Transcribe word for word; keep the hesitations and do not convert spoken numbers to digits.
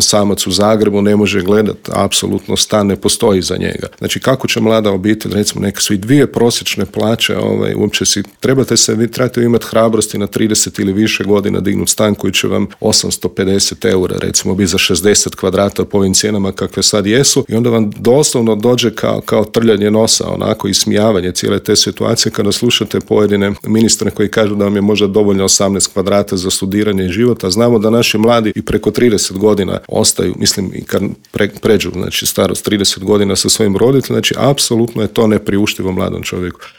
recimo samac u Zagrebu ne može gledati, apsolutno stan ne postoji za njega. Znači kako će mlada obitelj, recimo neke su i dvije prosječne plaće, ovaj, uopće si, trebate se, vi trebate imati hrabrosti na trideset ili više godina dignuti stan koji će vam osamsto pedeset eura, recimo bi za šezdeset kvadrata po ovim cijenama kakve sad jesu, i onda vam doslovno dođe kao, kao trljanje nosa, onako ismijavanje cijele te situacije kada slušate pojedine ministre koji kažu da vam je možda dovoljno osamnaest kvadrata za studiranje i život, a znamo da naši mladi i preko trideset godina ostaju, mislim i kad pre, pređu, znači starost trideset godina sa svojim roditeljima, znači apsolutno je to nepriuštivo mladom čovjeku.